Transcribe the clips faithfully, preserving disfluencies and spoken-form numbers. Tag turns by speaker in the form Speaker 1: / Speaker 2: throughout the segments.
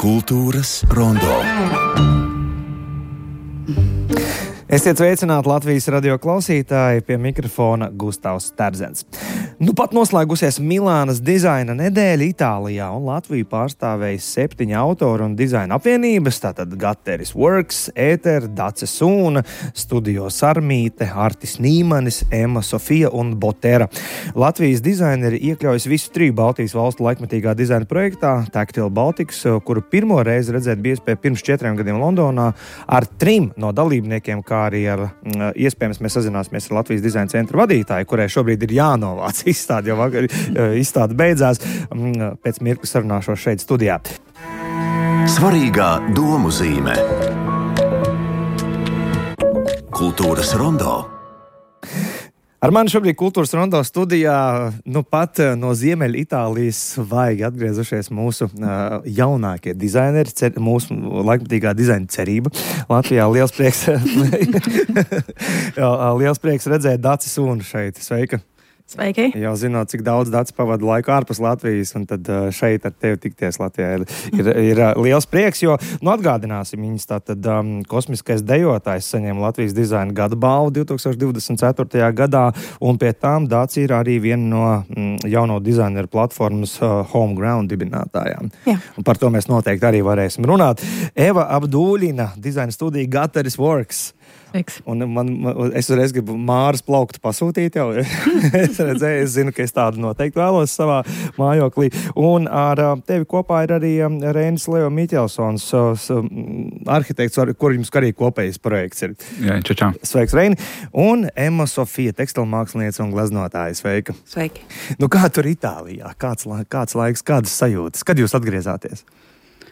Speaker 1: Kultūras rondo. Esiet sveicināti Latvijas radio klausītāji, pie mikrofona Gustavs Terzens. Nu pat noslēgusies Milānas dizaina nedēļa Itālijā, un Latviju pārstāvēja septiņi autoru un dizaina apvienības, tātad Gatteris Works, Ēter, Dace Sūna, Studio Sarmīte, Artis Nīmanis, Emma Sofija un Botera. Latvijas dizaineri iekļaujas visu triju Baltijas valstu laikmetīgā dizaina projektā Tactile Baltics, kuru pirmo reizi redzēt bija iespēja pirms četriem gadiem Londonā ar trim no dalībniekiem, kā arī ar, iespējams, mēs sazināsimies ar Latvijas dizaina centra vadītāju, kurai šobrīd ir jānovāc izstāde, jo vakar izstāde beidzās. Pēc mirkli sarunāšos šeit studijā.
Speaker 2: Svarīgā domu zīme. Kultūras rondo.
Speaker 1: Ar mani šobrīd Kultūras rondo studijā, nu pat no Ziemeļa Itālijas svaigi atgriezušies mūsu uh, jaunākie dizaineri, cer, mūsu laikmetīgā dizaina cerība. Latvijā liels prieks, liels prieks redzēt Daci Sūnu šeit. Sveika!
Speaker 3: Sveiki!
Speaker 1: Jau zinot, cik daudz Daci pavada laiku ārpus Latvijas, un tad šeit ar tevi tikties Latvijā ir, ir, ir liels prieks, jo, nu, atgādināsim, viņas tātad um, kosmiskais dejotājs saņēma Latvijas dizaina gada balvu divi tūkstoši divdesmit ceturtajā gadā, un pie tām Daci ir arī viena no mm, jauno dizaineru platformas uh, Homeground dibinātājām.
Speaker 3: Jā.
Speaker 1: Un par to mēs noteikti arī varēsim runāt. Eva Abdūļina, dizaina studija Gatteris Works.
Speaker 3: Sveiks.
Speaker 1: Un man, man, es reiz gribu Māras plauktu pasūtīt jau. es redzēju, es zinu, ka es tādu noteikti vēlos savā mājoklī. Un ar tevi kopā ir arī Reinis Leo Miķelsons, arhitekts, ar kur jums arī kopējs projekts ir.
Speaker 4: Jā, čau, čau.
Speaker 1: Sveiks, Reini. Un Emma Sofija, tekstilmākslinieca un gleznotāja. Sveika.
Speaker 3: Sveiki.
Speaker 1: Nu, kā tur Itālijā? Kāds, kāds laiks, kādas sajūtas? Kad jūs atgriezāties?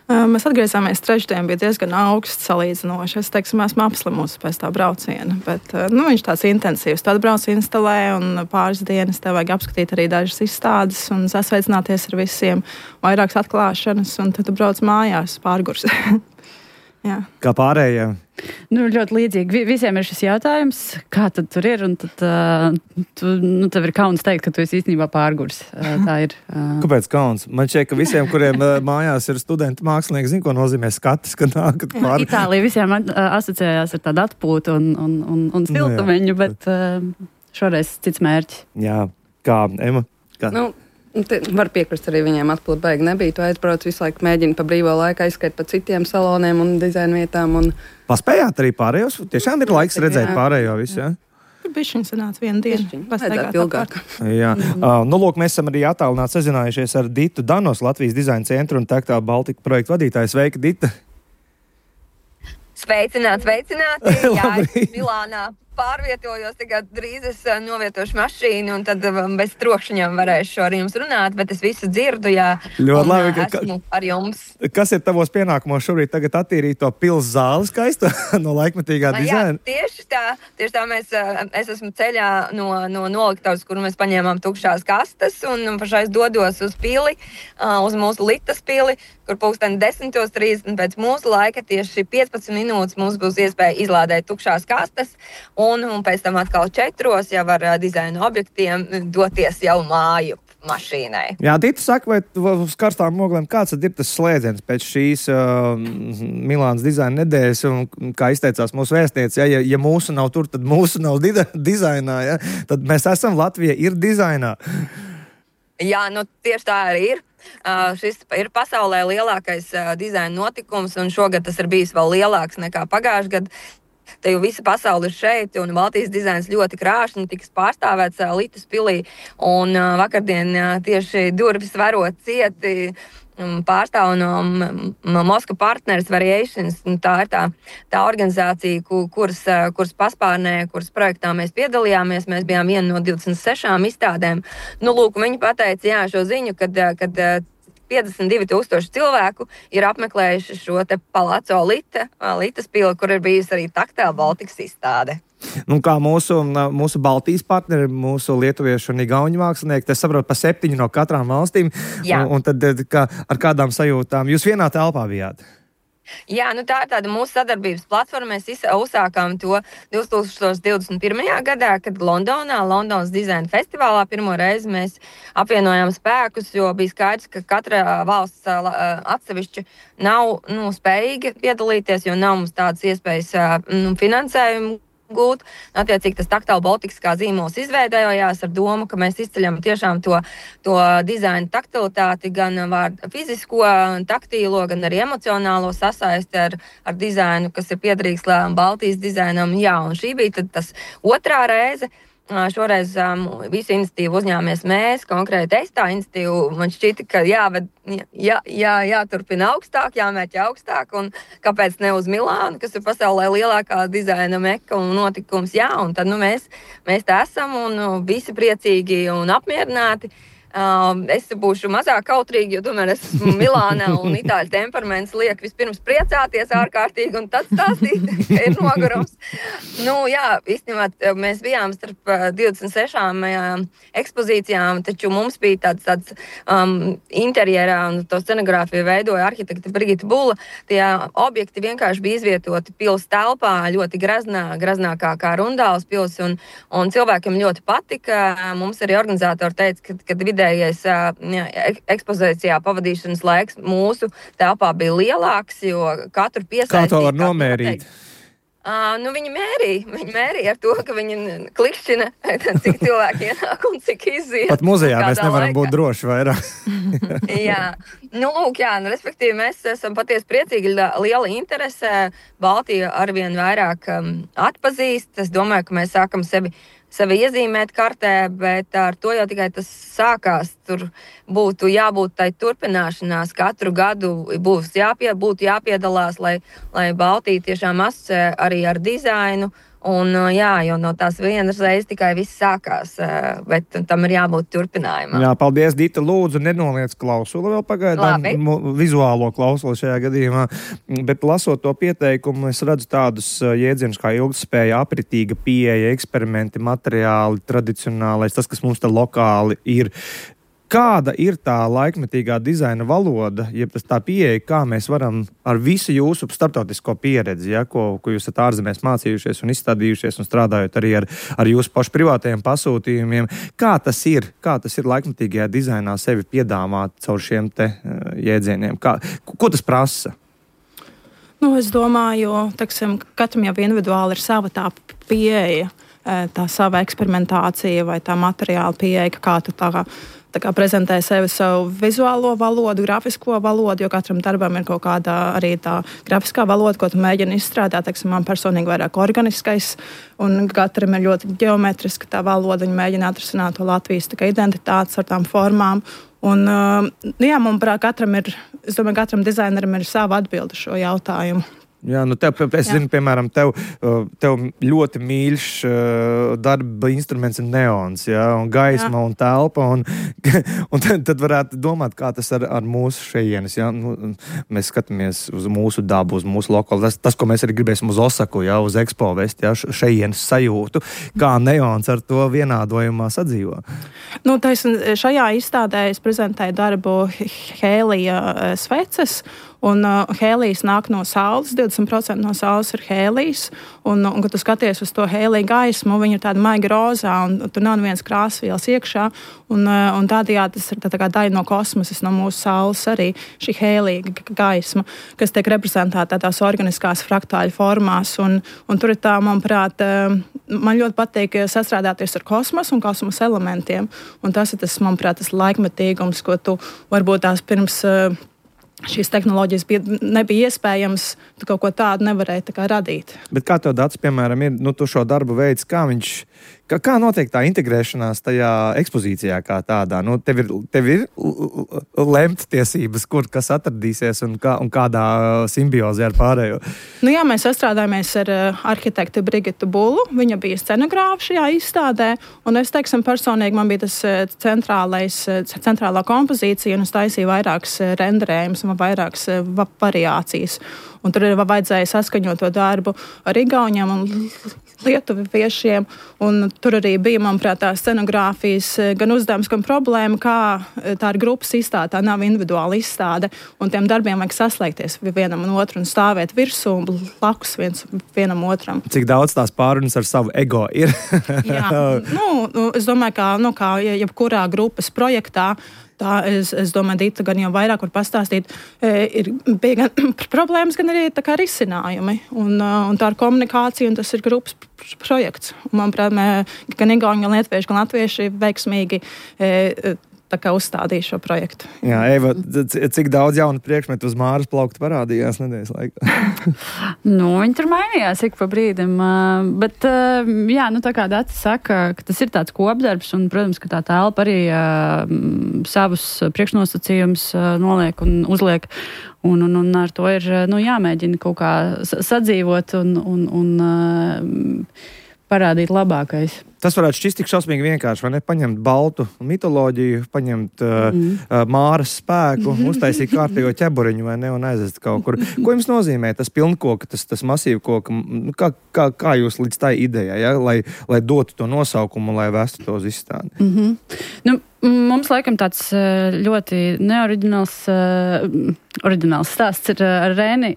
Speaker 3: Mēs atgriezāmies trešdien, bija diezgan augsts salīdzinoši. Es teiksim, esmu apslimusi pēc tā brauciena, bet nu, viņš tāds intensīvs. Tu atbrauc instalē un pāris dienas tev vajag apskatīt arī dažas izstādes un sasveicināties ar visiem, vairākas atklāšanas, un tad tu brauc mājās pārgurs. Jā.
Speaker 1: Kā pārējie?
Speaker 5: Nu, ļoti līdzīgi. Visiem ir šis jautājums, kā tad tur ir, un tad uh, tu, nu, tev ir kauns teikt, ka tu esi īstenībā pārgurs. Uh, tā ir. Uh...
Speaker 1: Kāpēc kauns? Man šķiet, ka visiem, kuriem uh, mājās ir studenti mākslinieki, zina, ko nozīmē skatis, kad nākat pār...
Speaker 5: Itālija visiem uh, asociējās ar tādu atpūtu un, un, un, un siltumeņu, nu, bet uh, šoreiz cits mērķis.
Speaker 1: Jā, kā, Ema? Kā?
Speaker 6: Nu, te, var piekrist arī viņiem, atpūt baigi nebija. Tu aizbrauc visu laiku, mēģini pa brīvo laiku aizskait pa citiem saloniem un dizaina vietām. Un...
Speaker 1: Paspējāt arī pārējos? Tiešām ir laiks redzēt jā. Pārējo visu, jā?
Speaker 3: Tur bišķiņ sanāca vienu dienu.
Speaker 6: Vajadzētu ilgāk.
Speaker 1: Jā. Mm. Uh, nu, lūk, mēs esam arī attālināti sazinājušies ar Ditu Danos, Latvijas dizaina centra un Tactile Baltica projektu vadītāju. Sveika, Dita!
Speaker 7: Sveicināt, sveicināti! Jā, es Milānā pārvietojos, tagad drīz es novietošu mašīnu un tad bez trokšņiem varēšu ar jums runāt, bet es visu dzirdu, jā.
Speaker 1: Ļoti
Speaker 7: un,
Speaker 1: labi, ka,
Speaker 7: esmu ar jums.
Speaker 1: Kas ir tavos pienākumos šobrīd tagad attīrīt to pils zāli skaistu no laikmetīgā dizaina?
Speaker 7: Jā, tieši tā, tieši tā mēs, es esmu ceļā no, no noliktavas, kur mēs paņēmām tukšās kastes un pašais dodos uz pili, uz mūsu litas pili, kur pulksteni desmitos trīsdesmit pēc mūsu laika tieši piecpadsmit minūtes mums būs iespēja izlādēt tukšās kastes un, un pēc tam atkal četros jau ar dizaina objektiem doties jau māju mašīnai.
Speaker 1: Jā, Dita saka, vai uz karstām oglēm kāds tad ir tas slēdziens pēc šīs uh, Milānas dizaina nedēļas un kā izteicās mūsu vēstniece, ja, ja, ja mūsu nav tur, tad mūsu nav di- dizainā, ja? Tad mēs esam, Latvija ir dizainā.
Speaker 7: Jā, nu tieši tā arī ir. Uh, šis ir pasaulē lielākais uh, dizaina notikums, un šogad tas ir bijis vēl lielāks nekā pagājušajā gadā. Te jau visa pasaule ir šeit, un Baltijas dizains ļoti krāšņi tiks pārstāvēts uh, Litus pilī. Un uh, vakardien uh, tieši durvis varot cieti um, pārstāv no um, Moska Partners Variations. Tā ir tā, tā organizācija, ku, kuras, uh, kuras paspārnē, kuras projektā mēs piedalījāmies. Mēs bijām viena no divdesmit sešām izstādēm. Nu, lūk, viņi pateica jā, šo ziņu, kad, kad piecdesmit divi tūkstoši cilvēku ir apmeklējuši šo te Palazzo Lita, Litas pili, kur ir bijusi arī Tactile Baltics izstāde.
Speaker 1: Nu, kā mūsu, mūsu Baltijas partneri, mūsu lietuviešu un igauņu mākslinieki, es saprotu, pa septiņu no katrām valstīm.
Speaker 7: Jā.
Speaker 1: Un, un tad kā, ar kādām sajūtām? Jūs vienā telpā bijāt?
Speaker 7: Jā, nu tā ir tāda mūsu sadarbības platforma. Mēs uzsākām to divtūkstoš divdesmit pirmajā gadā, kad Londonā, Londonas dizaina festivālā pirmo reizi mēs apvienojām spēkus, jo bija skaidrs, ka katra valsts atsevišķi nav nu, spējīga piedalīties, jo nav mums tādas iespējas nu, finansējumu gūt. Attiecīgi tas Tactile Baltics kā zīmols izveidojās ar domu, ka mēs izceļam tiešām to, to dizaina taktilitāti, gan vārdu fizisko, taktīlo, gan arī emocionālo sasaisti ar, ar dizainu, kas ir piederīgs Baltijas dizainam. Jā, un šī bija tad tas otrā reize. Šoreiz um, visu iniciatīvu uzņēmēs mēs, konkrēti es tā iniciatīvu. Man šķita, ka jāved, jā, jā, jāturpina augstāk, jāmērķa augstāk, un kāpēc ne uz Milānu, kas ir pasaulē lielākā dizaina meka un notikums. Jā, un tad nu, mēs, mēs tā esam un nu, visi priecīgi un apmierināti. Uh, es būšu mazāk kautrīgi, jo tomēr esmu Milānā un itāļu temperaments liek vispirms priecāties ārkārtīgi un tad stāstīt, ka ir nogurums. Nu, jā, īstenībā mēs bijām starp divdesmit sešām uh, ekspozīcijām, taču mums bija tāds, tāds um, interjerā un to scenogrāfiju veidoja arhitekta Brigita Bula. Tie objekti vienkārši bija izvietoti pils telpā, ļoti graznā, graznākā kā Rundāls pils, un, un cilvēkiem ļoti patika. Mums arī organizatori teica, ka, kad vidējais jā, ekspozīcijā pavadīšanas laiks mūsu telpā bija lielāks, jo katru piesaistīt.
Speaker 1: Kā to var nomērīt?
Speaker 7: Uh, nu, viņi mērīja. Viņi mērīja ar to, ka viņi klikšķina, cik cilvēki ienāk un cik iziet.
Speaker 1: Pat muzejā mēs nevaram
Speaker 7: laikā
Speaker 1: būt droši vairāk.
Speaker 7: jā, nu, lūk, jā, nu, respektīvi mēs esam patiesi priecīgi, liela interese. Baltija arvien vairāk um, atpazīst. Es domāju, ka mēs sākam sevi sevi iezīmēt kartē, bet ar to jau tikai tas sākās. Tur būtu jābūt tai turpināšanās. Katru gadu būs jāpie, būtu jāpiedalās, lai, lai Baltija tiešām asociē arī ar dizainu. Un, jā, jo no tās vienas reizes tikai viss sākās, bet tam ir jābūt turpinājumam.
Speaker 1: Jā, paldies, Dita. Lūdzu, nenoliec klausuli vēl pagaidām, vizuālo klausuli šajā gadījumā. Bet lasot to pieteikumu, es redzu tādus jēdzienus kā ilgtspēja, apritīga pieeja, eksperimenti, materiāli, tradicionālais, tas, kas mums te lokāli ir. Kāda ir tā laikmetīgā dizaina valoda, jeb tas tā pieeja, kā mēs varam ar visu jūsu starptautisko pieredzi, ja, ko, ko jūs esat ārzemēs mācījušies un izstādījušies un strādājot arī ar, ar jūsu pašu privātajiem pasūtījumiem, kā tas ir, kā tas ir laikmetīgajā dizainā sevi piedāvāt caur šiem te uh, jēdzieniem? Kā, ko tas prasa?
Speaker 3: Nu, es domāju, teksim, katram jau individuāli ir sava tā pieeja, tā sava eksperimentācija vai tā materiāla pieeja, kā tu tā kā Tā kā prezentē sevi savu vizuālo valodu, grafisko valodu, jo katram darbam ir kaut kāda arī tā grafiskā valoda, ko tu mēģini izstrādāt. Teiksim, man personīgi vairāk organiskais, un katram ir ļoti ģeometriska tā valoda. Viņi mēģina atrisināt to Latvijas tā kā identitātes ar tām formām. Un, jā, manuprāt, katram ir, es domāju, katram dizaineram ir sava atbilde šo jautājumu.
Speaker 1: Jā, nu tev, es Jā. zinu, piemēram, tev, tev ļoti mīļš darba instruments ir neons, jā, un gaisma Jā. un telpa, un, un tad, tad varētu domāt, kā tas ar, ar mūsu šejienes, jā, nu, mēs skatāmies uz mūsu dabu, uz mūsu lokālu, tas, tas, ko mēs arī gribēsim uz Osaku, jā, uz Expo vest, jā, šejienes sajūtu, kā neons ar to vienādojumā sadzīvo.
Speaker 3: Nu, taisn, šajā izstādē es prezentēju darbu Hēlija sveces, un uh, hēlijs nāk no saules, divdesmit procenti no saules ir hēlijs, un, un kad tu skaties uz to hēlija gaismu, viņa ir tāda maiga rozā, un tur nav neviens krāsvielas iekšā, un, uh, un tādējādi tas ir tā, tā kā daļa no kosmosas, no mūsu saules arī šī hēlija gaisma, kas tiek reprezentēta tādās organiskās fraktāļu formās, un, un tur ir tā, manuprāt, uh, man ļoti patīk sastrādāties ar kosmosu un kosmosa elementiem, un tas ir tas, manuprāt, tas laikmetīgums, ko tu varbūt tās pirms uh, šīs tehnoloģijas bija, nebija iespējams, tu kaut ko tādu nevarēji tā kā radīt. Bet
Speaker 1: kā tev dats, piemēram, ir, nu, tu šo darbu veids, kā viņš, kā, kā notiek tā integrēšanās tajā ekspozīcijā kā tādā? Nu, tev ir, tev ir lemt tiesības, kur kas atradīsies un, kā, un kādā simbiozē ar pārējo?
Speaker 3: Nu jā, mēs sastrādājamies ar uh, arhitektu Brigitu Bulu, viņa bija scenogrāfa šajā izstādē, un es, teiksim, personīgi man bija tas centrālais, centrālā kompozīcija, un es taisīju vairākas renderējumus, vairākas variācijas. Un tur ir vajadzēja saskaņot to darbu ar igauņiem un lietuviešiem. Un tur arī bija, manuprāt, tā scenogrāfijas gan uzdevums, gan problēma, kā tā ir grupas izstāde, tā nav individuāla izstāde, un tiem darbiem vajag saslēgties vienam un otru un stāvēt virsū un blakus viens, vienam otram.
Speaker 1: Cik daudz tās pārunas ar savu ego ir?
Speaker 3: Jā, nu, es domāju, ka nu, kā jebkurā grupas projektā, tā, es, es domāju, Dita gan jau vairāk var pastāstīt, ir bija gan problēmas, gan arī tā kā risinājumi. Un, un tā ir komunikācija, un tas ir grupas projekts. Un, manuprāt, gan Igauni, gan Lietuvieši, gan Latvieši veiksmīgi tā kā uzstādīja šo projektu.
Speaker 1: Jā, Eva, cik daudz jaunu priekšmetu uz Māras plaukta parādījās nedēļas laikā?
Speaker 5: Nu, viņi tur mainījās ik pa brīdim, bet, jā, nu tā kā Data saka, ka tas ir tāds kopdarbs, un, protams, ka tā telpa arī uh, savus priekšnosacījumus uh, noliek un uzliek, un, un, un ar to ir, nu, jāmēģina kaut kā sadzīvot un, un, un uh, parādīt labākais.
Speaker 1: Tas varētu šķist tik šausmīgi vienkārši, vai ne? Paņemt baltu mitoloģiju, paņemt uh, mm. uh, Māras spēku, uztaisīt kārtējo ķeburiņu, vai ne, un aizvest kaut kur. Ko jums nozīmē tas pilnkoka, tas, tas masīvu koka? Kā, kā, kā jūs līdz tai idejai, ja? lai, lai dotu to nosaukumu, lai vestu to uz izstādi?
Speaker 5: Mm-hmm. Nu, mums laikam tāds ļoti neoriģināls oriģināls stāsts ir ar Rēni.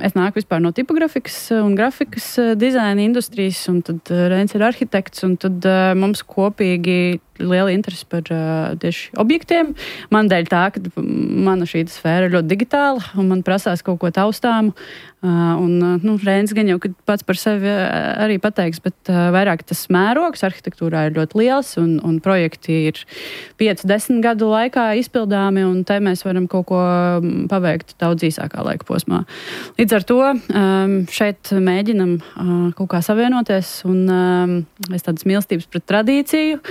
Speaker 5: Es nāku vispār no tipografikas un grafikas dizaina industrijas, un tad Rēns ir arhitekts, un tad mums kopīgi liela interese par uh, tieši objektiem. Man dēļ tā, ka mana šī sfēra ir ļoti digitāla, un man prasās kaut ko taustāmu. Uh, un, uh, nu, Rēns gan jau pats par sevi arī pateiks, bet uh, vairāk tas mērogs arhitektūrā ir ļoti liels, un, un projekti ir pieci desmit gadu laikā izpildāmi, un te mēs varam kaut ko paveikt daudz īsākā laika posmā. Līdz ar to um, šeit mēģinam uh, kaut kā savienoties, un um, es tādas mīlestības pret tradīciju,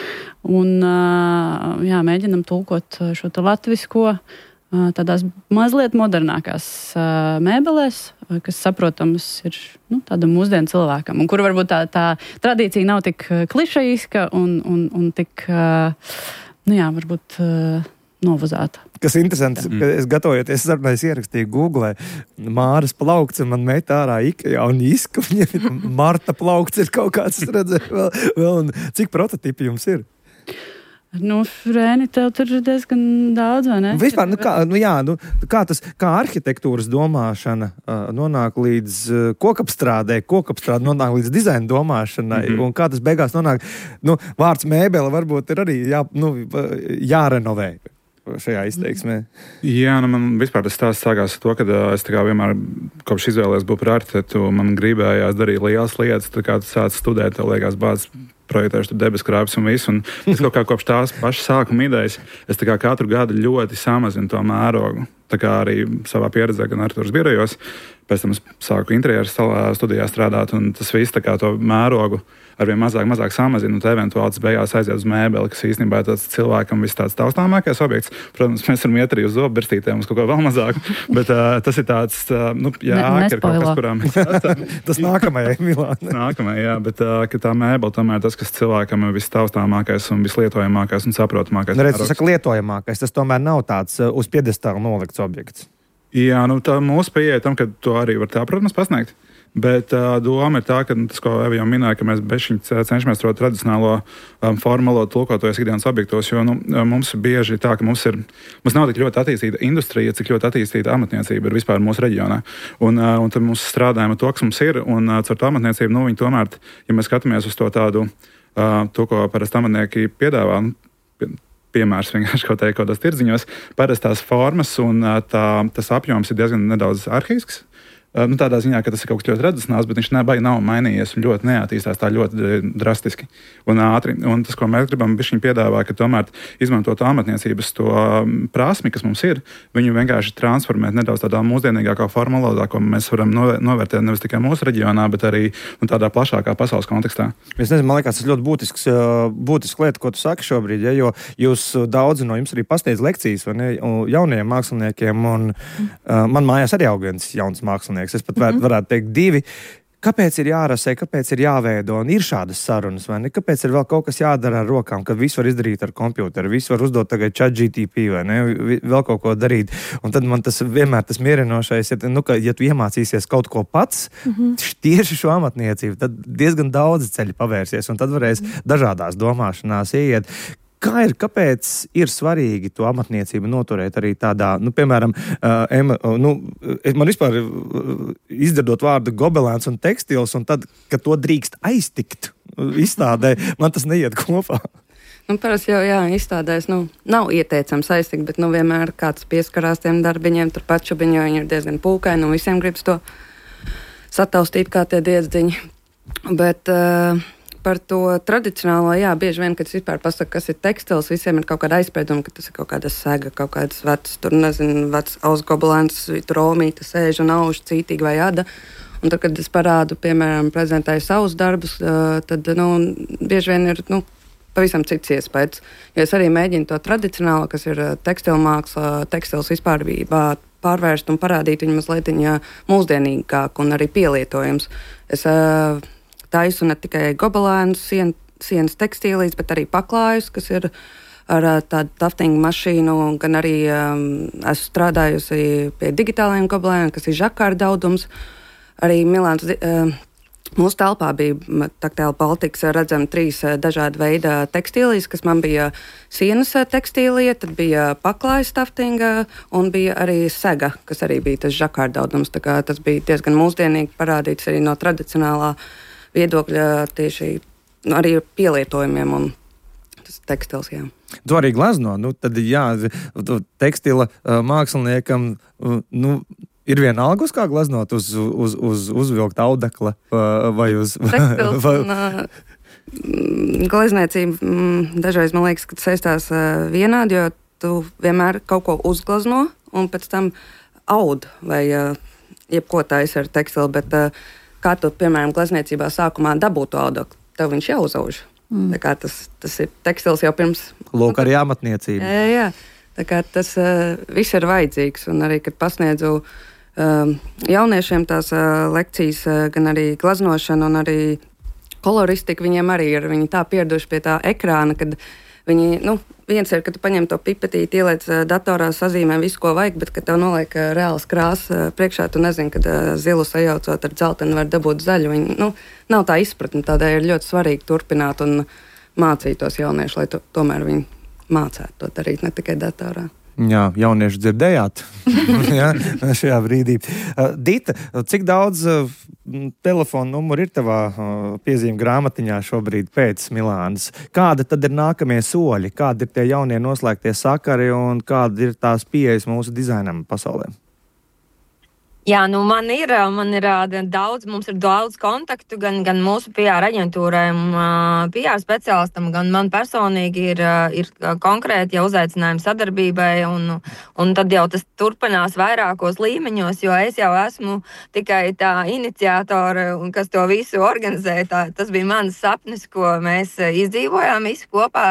Speaker 5: un jā, mēģinam tulkot šo te latvisko tādās mazliet modernākās mēbelēs, kas saprotams ir nu, tādam mūsdienu cilvēkam, un kur varbūt tā, tā tradīcija nav tik klišejiska un, un, un tik, nu jā, varbūt novazāta.
Speaker 1: Kas interesants, ka es gatavojoties sarunai, es ierakstīju Google Māras plaukts, un man met ārā Ikea un Iska, un Marta plaukts ir kaut kāds, es redzēju, vēl, vēl, un cik prototipi jums ir?
Speaker 5: Nu, Rēni, tev tur ir diezgan daudz, vai ne?
Speaker 1: Vispār, nu kā, nu jā, nu, kā tas, kā arhitektūras domāšana uh, nonāk līdz uh, kokapstrādē, kokapstrāde nonāk līdz dizaina domāšanai, mm-hmm. un kā tas beigās nonāk, nu, vārds mēbele varbūt ir arī jā, nu, jārenovē šajā izteiksmē.
Speaker 4: Jā, nu man vispār tas stāsts sākās ar to, ka es tā kā vienmēr kopš izvēlējos būt par arhitektu, man gribējās darīt lielas lietas, tā kā tu sāc studēt, tev liekas bāc projektēšu tur debes krāpes un visu, un es kaut kā kopš tās pašas sākuma idejas, es tā kā katru gadu ļoti samazinu to mērogu, tā kā arī savā pieredzē, gan arhitektūras birojos, pēc tam es sāku interjeru studijā strādāt, un tas viss tā kā to mērogu arvien mazāk, mazāk samazina, un tā eventuāli tas beigās aiziet uz mēbeli, kas īstenībā ir tāds cilvēkam viss tāds taustāmākais objekts. Protams, mēs varam iet arī uz zobu birstītēm, uz kaut ko vēl mazāk, bet uh, tas ir tāds, uh, nu, jā,
Speaker 5: ne,
Speaker 4: ka ir kaut kas, kurā mēs...
Speaker 1: tas nākamajai, Milāna.
Speaker 4: Nākamajai, jā, bet uh, ka tā mēbeli tomēr tas, kas cilvēkam ir viss taustāmākais un vislietojamākais un saprotamākais.
Speaker 1: Nu, redz, tu saka lietojamākais, tas tomēr nav tāds uh, uz piedestāla nolikts objekts.
Speaker 4: Jā, nu tā mūsu pieeja tam, ka to arī var tā, protams, pasniegt. Bet uh, doma ir tā, ka tas, ko Eva jau minēja, ka mēs bešiņi cenšamies to tradicionālo um, formālo tulkotojos ikdienas objektos, jo nu, mums bieži tā, ka mums ir, mums nav tik ļoti attīstīta industrija, cik ļoti attīstīta amatniecība ir vispār mūsu reģionā. Un, uh, un tad mums strādājam ar to, kas mums ir, un uh, ar to amatniecību, nu, viņi tomēr, ja mēs skatāmies uz to tādu, uh, to, ko parasti amatnieki piedāvā, nu, piemērs vienkārši kaut teikt, kaut tās tirdziņos, parasti tās formas un uh, tā, tas apjoms ir diezgan nedaudz arhaisks. Nu, tādā ziņā, ka tas ir kaut kas ļoti tradicionāls, bet viņš nebai nav mainījies un ļoti neattīstās tā ļoti drastiski un ātri. Un tas, ko mēs gribam bišķiņ piedāvā, ka tomēr izmantot amatniecības to prasmi, kas mums ir, viņu vienkārši transformēt nedaudz tādā mūsdienīgākā formolodā, ko mēs varam novērtēt nevis tikai mūsu reģionā, bet arī un tādā plašākā pasaules kontekstā. Es
Speaker 1: nezinu, man liekas, tas ļoti būtisks, būtisks lieta, ko tu saki šobrīd, ja, jo jūs daudzi no jums arī pasniedz lekcijas vai ne, jauniem māksliniekiem, un uh, man mājās arī aug viens jauns mākslinieks. Es pat var, varētu teikt divi. Kāpēc ir jārasē, kāpēc ir jāveido un ir šādas sarunas, vai ne? Kāpēc ir vēl kaut kas jādara ar rokām, kad visu var izdarīt ar kompjuteru, visu var uzdot tagad chat G P T, vai ne? Vēl kaut ko darīt. Un tad man tas vienmēr tas mierinošais ir, nu, ka, ja tu iemācīsies kaut ko pats, mm-hmm. tieši šo amatniecību, tad diezgan daudz ceļi pavērsies, un tad varēs mm-hmm. dažādās domāšanās ieiet. Kā ir, kāpēc ir svarīgi to amatniecību noturēt arī tādā, nu, piemēram, uh, ema, uh, nu, man vispār uh, izdzirdot vārdu gobelēns un tekstils, un tad, kad to drīkst aiztikt izstādē, man tas neiet kopā.
Speaker 6: Nu, parasti jau, jā, izstādēs, nu, nav ieteicams aiztikt, bet, nu, vienmēr kāds pieskarās tiem darbiņiem, turpat šubiņi, jo viņi ir diezgan pūkaini, un visiem gribas to sataustīt kā tie diedzdiņi. Bet, uh, par to tradicionālo, jā, bieži vien, kad es vispār pasaku, kas ir tekstils, visiem ir kaut kāda aizsprieduma, ka tas ir kaut kāda sega, kaut kādas vecas, tur, nezinu, vecs ausgobelēns, tur romīta sēž un auž cītīgi vai ada. Un tad, kad es parādu, piemēram, prezentēju savus darbus, tad, nu, bieži vien ir, nu, pavisam cits iespējas. Jo es arī mēģinu to tradicionālo, kas ir tekstilmāksla, tekstils vispārbībā, pārvērst un parādīt viņu mazliet mūsdienīgāk un arī pielietojums. Es uh, taisu ne tikai gobelēnus, sien, sienas tekstīlīs, bet arī paklājus, kas ir ar uh, tādu taftingu mašīnu, gan arī um, esmu strādājusi pie digitālajiem gobelēniem, kas ir žakāra daudums. Arī Milāns, uh, mūsu telpā bija Taktiāla Baltikas redzami trīs uh, dažādi veida tekstīlīs, kas man bija sienas tekstīlie, tad bija paklājas taftinga un bija arī sega, kas arī bija tas žakāra daudums. Tā kā tas bija diezgan mūsdienīgi parādīts arī no tradicionālā viedokļa tieši nu, arī pielietojumiem un tas tekstils, jā.
Speaker 1: Tu arī glezno, nu tad jā, tekstila uh, māksliniekam, uh, nu, ir vienalga uz kā gleznot, uz, uz, uz uzvilkt audekla uh, vai uz...
Speaker 6: Tekstils vai... un uh, glezniecība mm, dažreiz man liekas, ka saistās uh, vienādi, jo tu vienmēr kaut ko uzglezno un pēc tam aud vai uh, jebko taisi ar tekstilu, bet uh, kā tu, piemēram, glezniecībā sākumā dabūtu to audeklu, tev viņš jau uzauž. Mm. Tā kā tas, tas ir tekstils jau pirms...
Speaker 1: Lūk, arī amatniecība.
Speaker 6: Jā, jā. Tā kā tas uh, viss ir vajadzīgs. Un arī, kad pasniedzu uh, jauniešiem tās uh, lekcijas, uh, gan arī gleznošana un arī koloristika, viņiem arī ir, viņi tā pieraduši pie tā ekrāna, kad viņi, nu, viens ir, ka tu paņem to pipetīti, ieliec uh, datorā, sazīmē visu, ko vajag, bet, kad tev noliek uh, reāls krāsas uh, priekšā, tu nezini, kad uh, zilu sajaucot ar dzeltenu var dabūt zaļu. Viņi, nu, nav tā izpratne, tādēļ ir ļoti svarīgi turpināt un mācītos jaunieši, lai tu, tomēr viņi mācētu to darīt, ne tikai datorā.
Speaker 1: Jā, jaunieši dzirdējāt jā, šajā brīdī. Uh, Dita, cik daudz uh, telefonu numuru ir tavā uh, piezīmju grāmatiņā šobrīd pēc Milānas? Kāda tad ir nākamie soļi? Kādi ir tie jaunie noslēgtie sakari un kāda ir tās pieejas mūsu dizainam pasaulē?
Speaker 7: Jā, nu man ir, man ir daudz, mums ir daudz kontaktu, gan, gan mūsu P R aģentūrai, P R speciālistam, gan man personīgi ir, ir konkrēti jau uzaicinājumi sadarbībai, un, un tad jau tas turpinās vairākos līmeņos, jo es jau esmu tikai tā iniciātora, un kas to visu organizē. Tā, tas bija mans sapnis, ko mēs izdzīvojām visi kopā.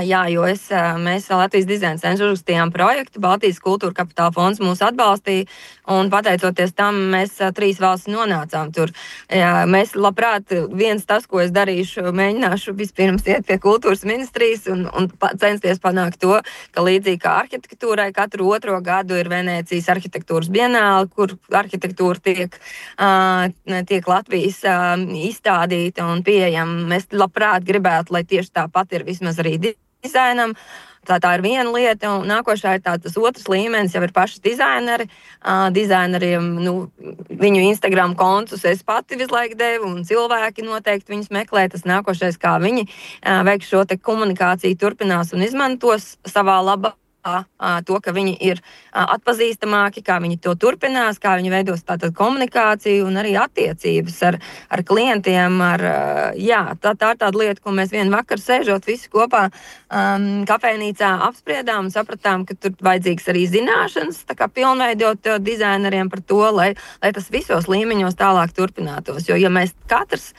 Speaker 7: Jā, jo es, mēs Latvijas dizaina centrs uzrakstījām projektu, Baltijas kultūra kapitāla fonds mūs atbalstīja, un pateicoties tam mēs trīs valstis nonācām tur. Jā, mēs labprāt, viens tas, ko es darīšu, mēģināšu vispirms iet pie kultūras ministrijas un, un censties panākt to, ka līdzīgi kā arhitektūrai katru otro gadu ir Venēcijas arhitektūras bienāle, kur arhitektūra tiek, uh, tiek Latvijas uh, izstādīta un pieejama. Mēs labprāt gribētu, lai tieši tāpat ir vismaz arī dizainam. Tā, tā ir viena lieta, un nākošā ir tā, tas otrs līmenis, jau ir paši dizaineri. Uh, dizaineriem, nu, viņu Instagram kontus es pati visu laiku devu, un cilvēki noteikti viņus meklē. Tas nākošais, kā viņi uh, veiks šo te komunikāciju, turpinās un izmantos savā labā. To, ka viņi ir atpazīstamāki, kā viņi to turpinās, kā viņi veidos tātad komunikāciju un arī attiecības ar, ar klientiem. Ar, jā, tā, tā ir tāda lieta, ko mēs vienu vakaru sēžot visi kopā um, kafejnīcā apspriedām un sapratām, ka tur vajadzīgs arī zināšanas, tā kā pilnveidot dizaineriem par to, lai, lai tas visos līmeņos tālāk turpinātos. Jo, ja mēs katrs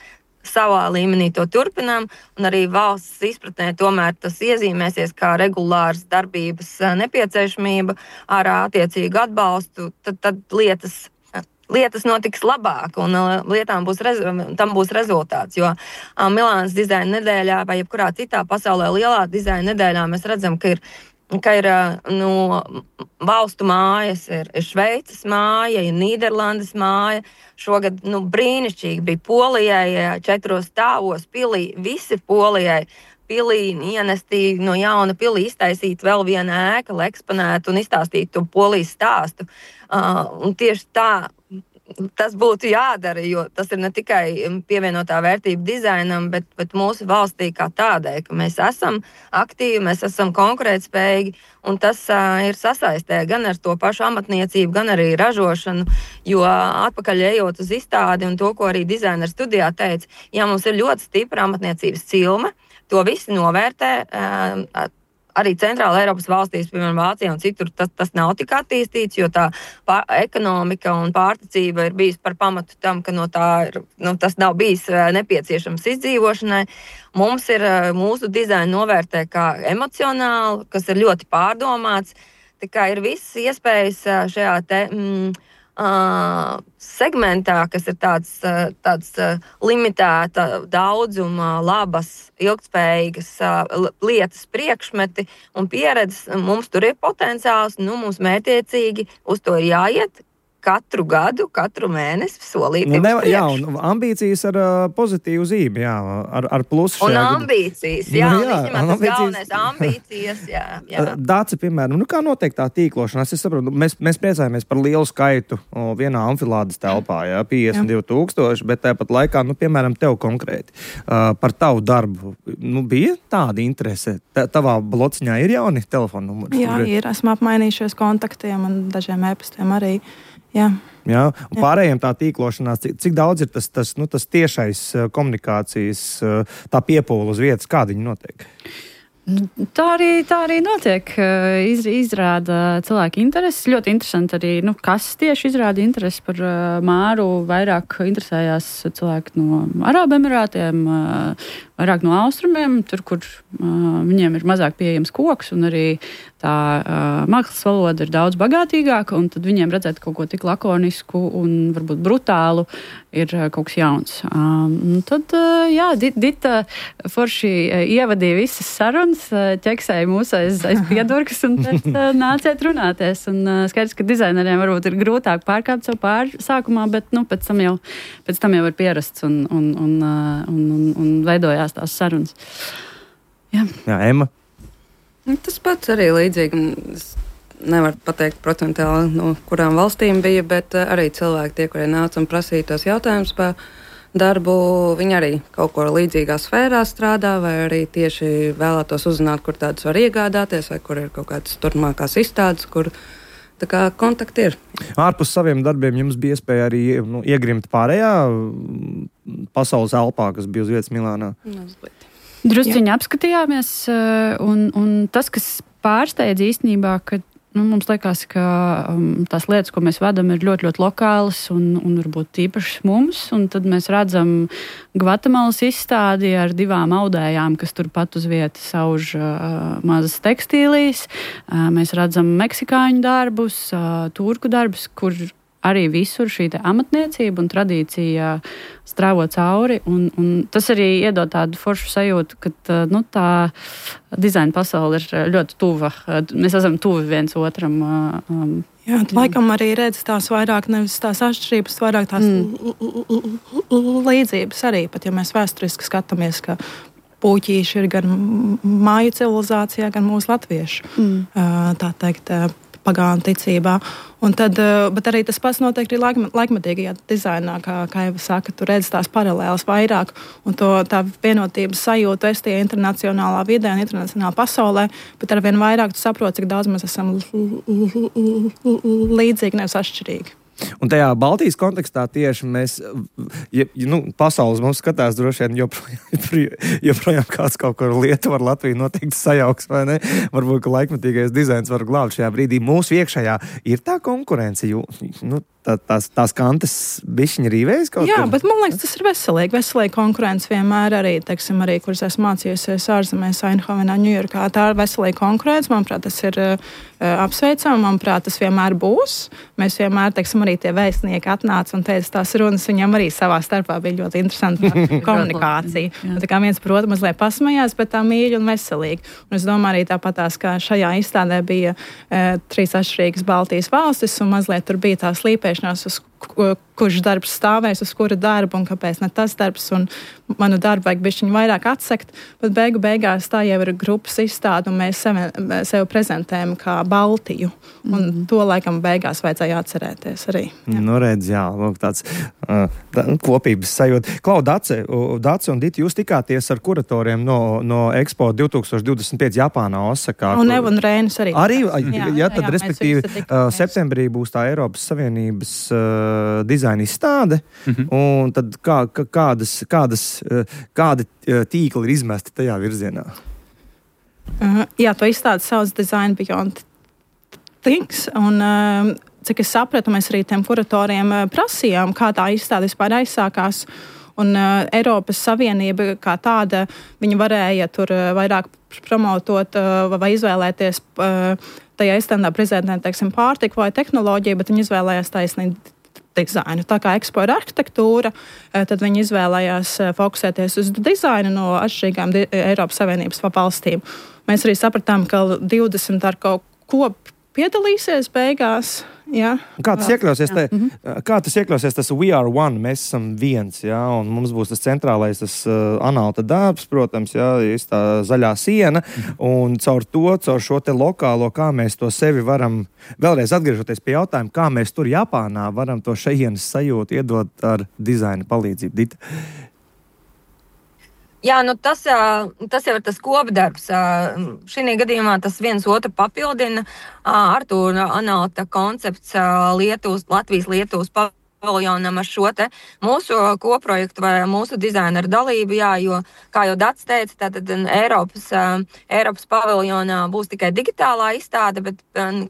Speaker 7: savā līmenī to turpinām, un arī valsts izpratnē tomēr tas iezīmēsies kā regulārs darbības nepieciešamība ar attiecīgu atbalstu, tad, tad lietas lietas notiks labāk un lietām būs, rez, tam būs rezultāts. Jo Milānas dizaina nedēļā vai jebkurā citā pasaulē lielā dizaina nedēļā mēs redzam, ka ir ka ir no valstu mājas, ir, ir Šveices māja, ir Nīderlandes māja. Šogad nu, brīnišķīgi bija Polijai, četros stāvos pilī, visi Polijai pilī ienestīja no jauna pilī, iztaisīt vēl vienu ēku, eksponētu un izstāstīt to Polijas stāstu. Uh, un tieši tā tas būtu jādara, jo tas ir ne tikai pievienotā vērtība dizainam, bet, bet mūsu valstī kā tādai, ka mēs esam aktīvi, mēs esam konkurētspējīgi, un tas uh, ir sasaistē gan ar to pašu amatniecību, gan arī ražošanu, jo atpakaļ ejot uz izstādi un to, ko arī dizaina studijā teica, ja mums ir ļoti stipra amatniecības cilme, to visi novērtē, uh, arī centrāla Eiropas valstīs, piemēram, Vācijā un citur, tas, tas nav tik attīstīts, jo tā pār, ekonomika un pārticība ir bijis par pamatu tam, ka no tā ir, nu, tas nav bijis nepieciešams izdzīvošanai. Mums ir mūsu dizaina novērtē kā emocionāli, kas ir ļoti pārdomāts, tā kā ir visas iespējas šajā te... Mm, Uh, segmentā, kas ir tāds, uh, tāds uh, limitēta daudzuma, labas, ilgtspējīgas uh, lietas, priekšmeti un pieredzes, mums tur ir potenciāls, nu, mums mērķiecīgi uz to ir jāiet katru gadu, katru mēnesi solīti.
Speaker 1: Nu, jā, un ambīcijas ar uh, pozitīvu zīmi, jā, ar, ar plusu.
Speaker 7: Un ambīcijas, jā,
Speaker 1: nu, jā,
Speaker 7: un viņam tas galvenais ambīcijas, jā. jā.
Speaker 1: Dāci, piemēram, nu kā notiek tā tīklošanās? Es saprotu, mēs, mēs priecājamies par lielu skaitu o, vienā amfilādes telpā, jā, piecdesmit divi tūkstoši, bet tāpat laikā, nu, piemēram, tev konkrēti uh, par tavu darbu, nu, bija tāda interese? Tā, tavā blociņā ir jauni telefona numuri?
Speaker 3: Jā, ir. Esmu apmainījušies kontaktiem un dažiem e-pastiem arī. Jā.
Speaker 1: Jā, un Jā. Pārējiem tā tīklošanās, cik, cik daudz ir tas, tas, nu, tas tiešais komunikācijas, tā piepūle uz vietas, kāda viņa notiek?
Speaker 5: Tā arī, tā arī notiek. Iz, izrāda cilvēki intereses. Ļoti interesanti arī, nu, kas tieši izrāda interesi par uh, Māru. Vairāk interesējās cilvēki no Arābu Emirātiem, uh, vairāk no austrumiem, tur, kur uh, viņiem ir mazāk pieejams koks, un arī tā uh, mākslas valoda ir daudz bagātīgāka, un tad viņiem redzēt kaut ko tik lakonisku un varbūt brutālu ir uh, kaut kas jauns. Um, tad, uh, jā, Dita forši uh, ievadīja visas sarunas, uh, ķeksēja mūs aiz, aiz piedurkas, un tad uh, nāciet runāties. Un uh, skaidrs, ka dizaineriem varbūt ir grūtāk pārkāpt savu pāri sākumā, bet nu, pēc, tam jau, pēc tam jau ir pierasts un, un, un, uh, un, un, un veidojās tās sarunas. Jā,
Speaker 1: Jā Emma.
Speaker 6: Tas pats arī līdzīgi. Es nevaru pateikt procentuāli, no kurām valstīm bija, bet arī cilvēki, tie, kuri nāca un prasīja tos jautājumus par darbu, viņi arī kaut ko līdzīgā sfērā strādā, vai arī tieši vēlētos uzzināt, kur tādas var iegādāties, vai kur ir kaut kādas turpmākās izstādes, kur tā kā kontakti ir.
Speaker 1: Ārpus saviem darbiem jums bija iespēja arī nu, iegrimt pārējā pasaules elpā, kas bija uz vietas Milānā?
Speaker 6: Mazliet.
Speaker 5: Drusciņi apskatījāmies, un, un tas, kas pārsteidz īstenībā, ka nu, mums liekas, ka um, tās lietas, ko mēs vedam, ir ļoti, ļoti lokālas un, un varbūt īpašas mums, un tad mēs redzam Gvatemalas izstādi ar divām audējām, kas turpat uz vietas auž uh, mazas tekstīlijas. Uh, mēs redzam meksikāņu darbus, uh, turku darbus, kur arī visur šī amatniecība un tradīcija strāvo cauri. Un, un tas arī iedod tādu foršu sajūtu, ka nu, tā dizaina pasaule ir ļoti tuva. Mēs esam tuvi viens otram. Um,
Speaker 3: Jā, laikam arī redz tās vairāk, nevis tās atšķirības, vairāk tās mm. līdzības arī. Pat ja mēs vēsturiski skatāmies, ka puķīši ir gan māju civilizācijā, gan mūsu latviešu, mm. tā teikt, pagānu ticībā. Un tad, bet arī tas pats notiek arī laikmetīgajā dizainā, kā, kā jau saka, tu redz tās paralēlas vairāk, un to tā vienotības sajūtu es tie internacionālā vidē un internacionālā pasaulē, bet arvien vairāk tu saproti, cik daudz mēs esam līdzīgi, nevis atšķirīgi.
Speaker 1: Un tajā Baltijas kontekstā tieši mēs, ja, nu, pasaules mums skatās droši vien joprojām, joprojām kāds kaut kur Lietuva ar Latviju noteikti sajauks, vai ne? Varbūt, ka laikmetīgais dizains var glābt šajā brīdī. Mūsu iekšējā ir tā konkurence, jo, nu, tā, tās, tās kantes bišķiņi rīvējas kaut
Speaker 3: Jā,
Speaker 1: kur?
Speaker 3: bet man liekas, tas ir veselīgi. Veselīgi konkurence vienmēr arī, teiksim, arī, kuras esmu mācījusies ārzemēs, Eindhovenā, Ņujorkā. Tā ir veselīga konkurence. Manuprāt, tas ir uh, apsveicami. Manuprāt, tas vienmēr būs. Mēs vienmēr, teiksim, arī tie vēstnieki atnāca un teica tās runas. Viņam arī savā starpā bija ļoti interesanta komunikācija. Tā kā viens, protams, mazliet pasmējās, bet tā mīļi un veselīgi. Un es domāju arī tāpatās, ka šajā izstādē bija uh, trīs atšķirīgas Baltijas valstis un mazliet tur bija tā slīpēšanās, uz kurš darbs stāvēs, uz kura darba un kāpēc ne tas darbs, un manu darbu vajag bišķiņu vairāk atsekt, bet beigu beigās tā jau ir grupas izstāde, un mēs sevi, sevi prezentējam kā Baltiju, un mm. to laikam beigās vajadzēja atcerēties arī.
Speaker 1: Jā. Nu, redz, jā, lūk, tāds uh, tā, kopības sajūta. Klau, Dace, Dace un Dita, jūs tikāties ar kuratoriem no, no Expo divtūkstoš divdesmit pieci Japānā, Osakā.
Speaker 3: Un Eva un Rēnis arī.
Speaker 1: Arī,
Speaker 3: jā,
Speaker 1: jā, tad,
Speaker 3: jā,
Speaker 1: respektīvi, uh, septembrī būs tā Eiropas Savienības uh, dizaina izstāde, mm-hmm. un tad kā, kādas, kādas, kādi tīkli ir izmesti tajā virzienā?
Speaker 3: Uh, jā, to izstādi sauc Design Beyond Things, un uh, cik es sapratu, mēs arī tiem kuratoriem uh, prasījām, kā tā izstāde vispār aizsākās, un uh, Eiropas Savienība kā tāda, viņa varēja tur uh, vairāk promotot uh, vai izvēlēties uh, tajā izstādā prezentēt, teiksim, pārtiku vai tehnoloģiju, bet viņi izvēlējās taisnīgi dizainu. Tā kā Expo ir arhitektūra, tad viņi izvēlējās fokusēties uz dizainu no atšķirīgām di- Eiropas Savienības valstīm. Mēs arī sapratām, ka divdesmit ar kaut ko piedalīsies beigās. Jā.
Speaker 1: Kā tas iekļausies, te, kā tas iekļausies, tas we are one, mēs esam viens, jā, un mums būs tas centrālais, tas uh, analta darbs, protams, jā, tā zaļā siena, un caur to, caur šo te lokālo, kā mēs to sevi varam, vēlreiz atgriežoties pie jautājuma, kā mēs tur Japānā varam to šejienes sajūtu iedot ar dizaina palīdzību. Dita?
Speaker 7: Jā, nu tas, tas jau ir tas kopdarbs. Šī gadījumā tas viens otru papildina. Artūra Analta koncepts Lietuvas, Latvijas Lietuvas paviljonam ar šo te mūsu koprojektu vai mūsu dizaineru dalību, jā, jo, kā jau Dats teica, tātad Eiropas, Eiropas paviljonā būs tikai digitālā izstāde, bet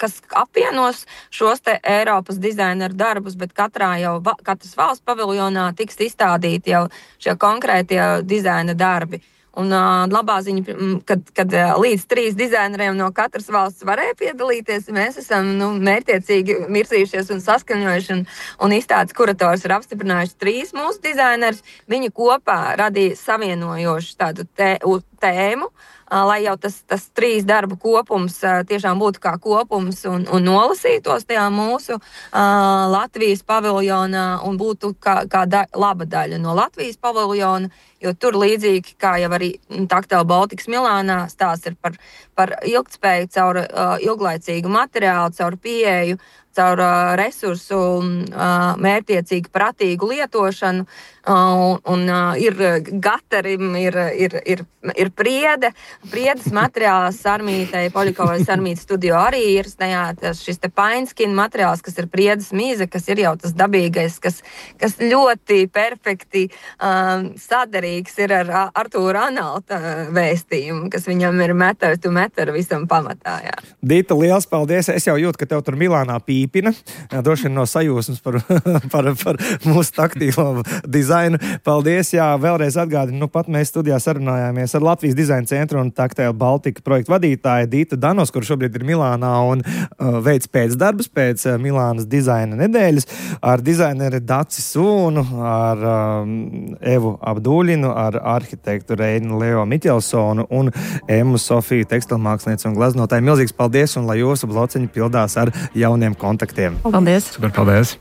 Speaker 7: kas apvienos šos te Eiropas dizaineru darbus, bet katrā jau, katras valsts paviljonā tiks izstādīti jau šie konkrētie dizaina darbi. Un uh, labā ziņa, kad, kad uh, līdz trīs dizaineriem no katras valsts varēja piedalīties, mēs esam nu, mērķiecīgi virzījušies un saskaņojuši, un, un izstādes kurators ir apstiprinājuši trīs mūsu dizainerus. Viņi kopā radīja savienojošu tādu tē, tēmu, uh, lai jau tas, tas trīs darbu kopums uh, tiešām būtu kā kopums un, un nolasītos tajā mūsu uh, Latvijas paviljonā un būtu kā, kā da, laba daļa no Latvijas paviljona. Jo tur līdzīgi, kā jau arī Tactile Baltics Milānā stāsts ir par, par ilgtspēju caur uh, ilglaicīgu materiālu, caur pieeju, caur uh, resursu uh, mērķiecīgu, pratīgu lietošanu. Uh, un uh, ir gatarim, ir, ir, ir, ir priede, priedes materiāls sarmītei, Poļakovai sarmītas studio arī ir tajā, šis te painskin materiāls, kas ir priedes mīze, kas ir jau tas dabīgais, kas, kas ļoti perfekti uh, sadarīgs ir ar Artūra Analta vēstījumu, kas viņam ir metar to metar visam pamatā. Jā.
Speaker 1: Dita, liels paldies! Es jau jūtu, ka tev tur Milānā pīpina, droši vien no sajūsmas par, par, par mūsu taktīlo dizainu. Paldies, jā, vēlreiz atgādinu, nu pat mēs studijā sarunājāmies ar Latvijas dizaina centru un Tactile Baltica projektu vadītāju Ditu Danos, kur šobrīd ir Milānā un uh, veids pēcdarbus pēc uh, Milānas dizaina nedēļas ar dizaineri Daci Sūnu, ar um, Evu Abduļinu, ar arhitektu Reinu Leo Miķelsonu un Emu Sofiju tekstilmāksliniecu un gleznotāju. Milzīgs paldies un lai jūsu blociņi pildās ar jauniem kontaktiem.
Speaker 3: Paldies!
Speaker 4: Super, paldies!